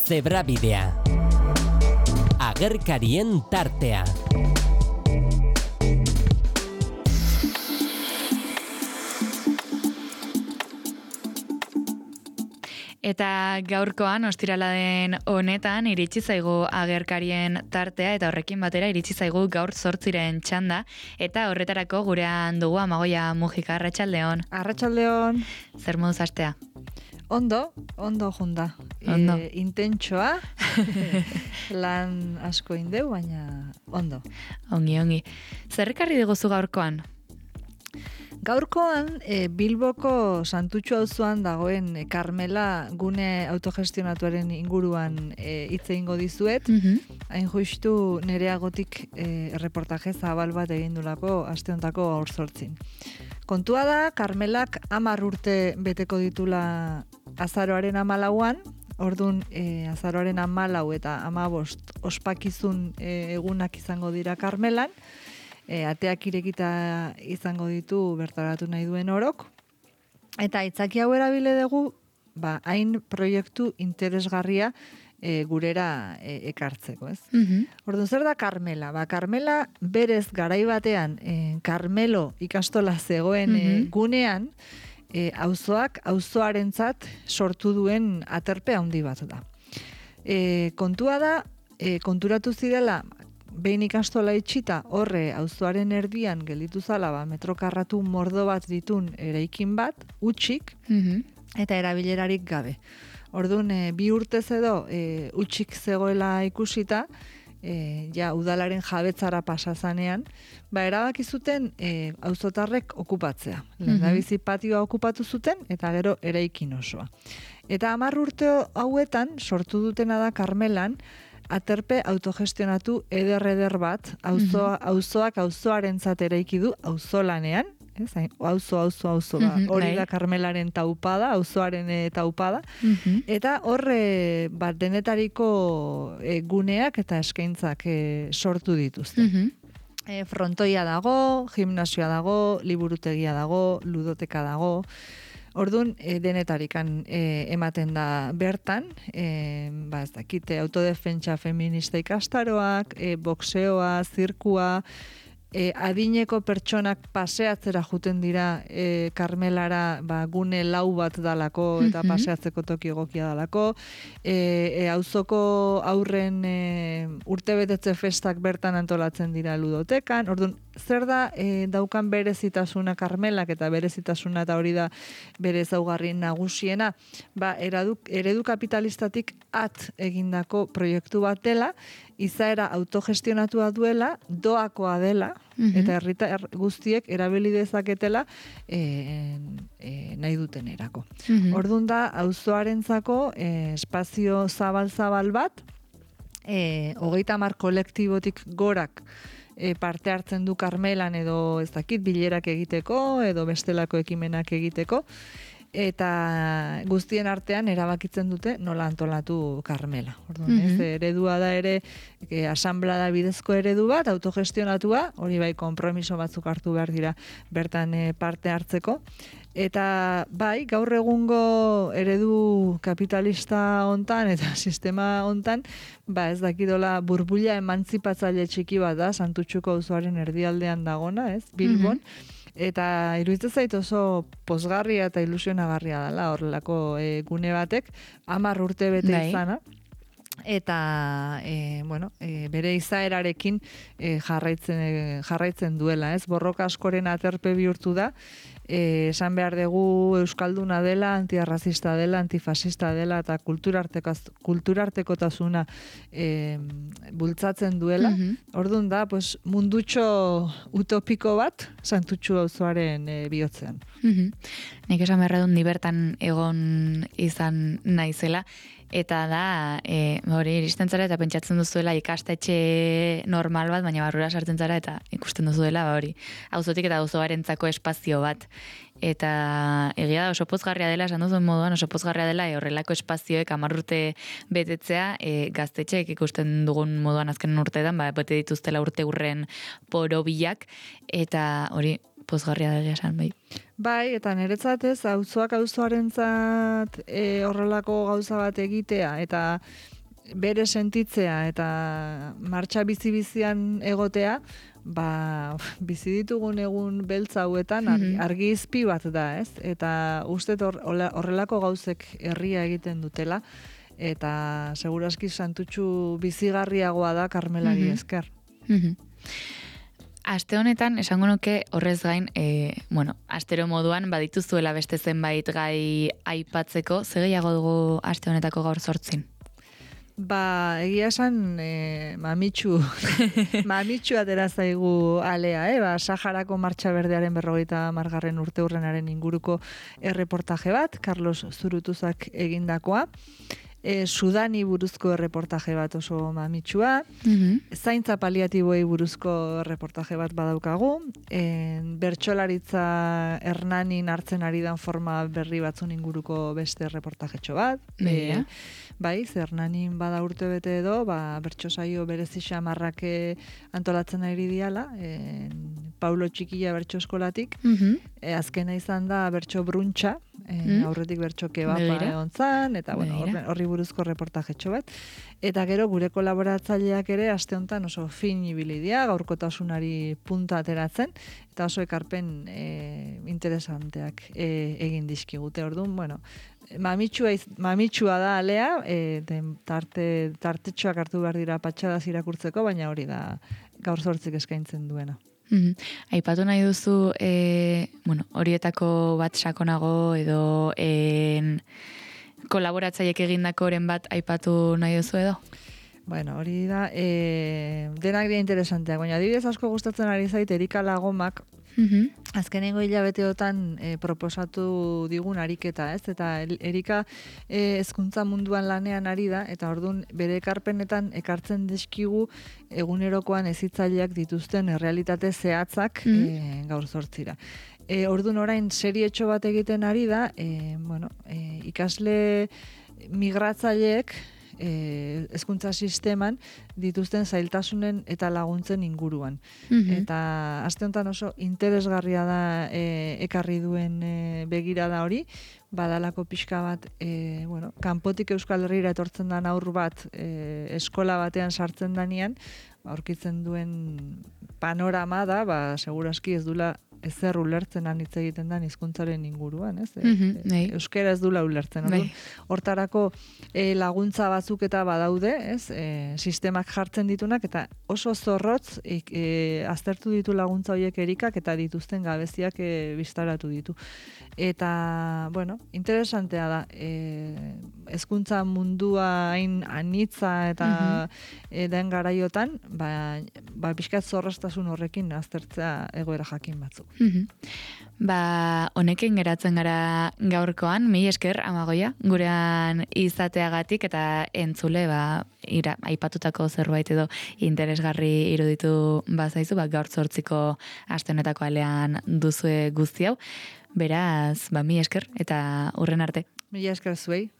Zebrabidea. Agerkarien tartea. Eta gaurkoan, ostirala den honetan, iritsi zaigu agerkarien tartea, eta horrekin batera iritsi zaigu gaur 8 txanda, eta horretarako gurean dugu Amagoia Mujika. Arratsaldeon. Arratsaldeon. Zer moduz astea? Ondo junda. Ondo. Intentsoa, lan asko indeu, baina ondo. Ongi. Zer ekarri diguzu gaurkoan? Gaurkoan, Bilboko Santutxu auzoan dagoen Karmela gune autogestionatuaren inguruan hitz egingo dizuet. Hain justu nereagotik erreportaje zabal bat egindulako aste hontako gaur 8. Kontua da, Karmelak 10 urte beteko ditula azaroaren 14an, ordun azaroaren 14 eta 15 ospakizun egunak izango dira Karmelan. Ateak irekita izango ditu bertaratu nahi duen orok. Eta aitzaki hau erabile dugu, hain proiektu interesgarria gurera ekartzeko, ez? Orduan, zer da Karmela? Karmela berez garai batean Karmelo ikastola zegoen gunean, auzoarentzat sortu duen aterpe handi bat da. Kontua da, konturatu zirela, behin ikastola itxita horre auzoaren erdian gelditu zala metro karratu mordo bat ditun eraikin bat, utxik, eta erabilerarik gabe. Orduan, 2 urtez edo utxik zegoela ikusita, udalaren jabetzara pasazanean, erabaki zuten auzotarrek okupatzea. Lehendabizi patioa okupatu zuten, eta gero eraikin osoa. Eta 10 urte hauetan, sortu dutena da Karmelan, aterpe autogestionatu eder bat, auzoak auzoarentzat eraiki du auzolanean, auzo hori da Karmelaren taupada, auzoaren taupada, eta horre denetariko guneak eta eskaintzak sortu dituzte. Frontoia dago, gimnasioa dago, liburutegia dago, ludoteka dago. Orduan, denetarikan ematen da bertan, ez dakite, autodefentsa feminista ikastaroak, boxeoa, zirkua, adineko pertsonak paseatzera juten dira Karmelara gune lau bat dalako eta paseatzeko toki egokia dalako, auzoko aurren urtebetetze festak bertan antolatzen dira ludotekan. Orduan, zer da daukan berezitasuna Karmelak, eta berezitasuna eta hori da bere ezaugarri nagusiena, eredu kapitalistatik egindako proiektu bat dela, izaera autogestionatua duela, doakoa dela, eta herritar guztiek erabili dezaketela nahi dutenerako. Orduan da, auzoarentzako espazio zabal bat, 30 kolektibotik gorak parte hartzen du Karmelan, edo ez dakit bilerak egiteko, edo bestelako ekimenak egiteko, eta guztien artean erabakitzen dute nola antolatu Karmela. Orduan, eredua da ere asanblada bidezko eredu bat, autogestionatua, hori bai konpromiso batzuk hartu behar dira bertan parte hartzeko. Eta gaur egungo eredu kapitalista hontan eta sistema hontan, ez dakidola burbuila emantzipatzaile txiki bat da, Santutxuko auzoaren erdialdean dagona, ez, Bilbon, eta iruditzen zait oso pozgarria eta ilusionagarria dela horrelako gune batek, 10 urte bete izana, eta bere izaerarekin jarraitzen duela, ez? Borroka askoren aterpe bihurtu da, esan behar dugu euskalduna dela, antiarrazista dela, antifasista dela, eta kulturartekotasuna bultzatzen duela. Orduan da, mundutxo utopiko bat Santutxu auzoaren bihotzean. Nik esan beharra dut ni bertan egon izan naizela, eta da, hori iristen zara eta pentsatzen duzuela ikastetxe normal bat, baina barrura sartzen zara eta ikusten duzuela, hori, auzotik eta auzoarentzako espazio bat. Eta egia da oso pozgarria dela, esan duzuen moduan oso pozgarria dela, horrelako espazioek 10 urte betetzea, gaztetxeek ikusten dugun moduan azken urteetan, bete dituztela urte urren porobilak, eta hori pozgarria da esan, bai. Bai, eta niretzat ez, auzoarentzat horrelako gauza bat egitea, eta bere sentitzea, eta martxa bizi-bizian egotea, bizi ditugun egun beltza hauetan argi izpi bat da, ez? Eta uste horrelako gauzek herria egiten dutela, eta seguraski santutxu bizigarriagoa da Karmelari esker. Aste honetan, esango nuke horrez gain, astero moduan badituzuela beste zenbait gai aipatzeko, ze gehiago dugu aste honetako gaur 8? Egia esan, mamitxu atera zaigu alea, Saharako Martxa Berdearen 50. urteurrenaren inguruko erreportaje bat, Carlos Zurutuzak egindakoa, Sudani buruzko erreportaje bat oso mamitxua, zaintza paliatiboei buruzko erreportaje bat badaukagu, bertsolaritza Hernanin hartzen ari dan forma berri batzun inguruko beste erreportajetxo bat, bai, Hernanin bada urte bete edo, bertso saio berezi xamarrak antolatzen ari diala, Paulo Txikilla bertso eskolatik, azkena izan da bertso bruntxa, aurretik bertso kebapa egon zan, eta horri buruzko reportajetxo bat. Eta gero gure kolaboratzaileak ere aste honetan oso fin ibili dira, gaurkotasunari punta ateratzen, eta oso ekarpen interesanteak egin dizkigute. Orduan, mamitxua da alea, tartetxoak hartu behar dira patxadaz irakurtzeko, baina hori da gaur 8 eskaintzen duena. Aipatu nahi duzu, horietako bat sakonago edo kolaboratzaiek egindakoren bat aipatu nahi duzu edo? Hori da, denak dira interesanteak, baina adibidez asko gustatzen ari zait Erika Lagomak, azkenengo hilabeteotan proposatu digun ariketa, ez? Eta Erika hezkuntza munduan lanean ari da, eta orduan bere ekarpenetan ekartzen dizkigu egunerokoan hezitzaileak dituzten errealitate zehatzak gaur 8. Orduan orain serietxo bat egiten ari da, ikasle migratzaileek hezkuntza sisteman dituzten zailtasunen eta laguntzen inguruan. Eta aste honetan oso interesgarria da ekarri duen begirada hori, badalako pixka bat, kanpotik Euskal Herrira etortzen da haur bat eskola batean sartzen danean, aurkitzen duen panorama da, seguraski ez dula ezer ulertzen hitz egiten da hizkuntzaren inguruan, ez? Euskara ez dula ulertzen. Hortarako laguntza batzuk eta badaude, ez? Sistemak jartzen ditunak eta oso zorrotz aztertu ditu laguntza horiek Erikak eta dituzten gabeziak bistaratu ditu. Eta, interesantea da. Hezkuntza mundua hain anitza eta den garaiotan, pixkat zorroztasun horrekin aztertzea egoera jakin batzuk. Honekin geratzen gara gaurkoan, mila esker Amagoia, gurean izateagatik eta entzule aipatutako zerbait edo interesgarri iruditu bazaizu, gaur 8 aste honetako alean duzue guzti hau. Beraz, mila esker eta hurren arte. Mila esker zuei.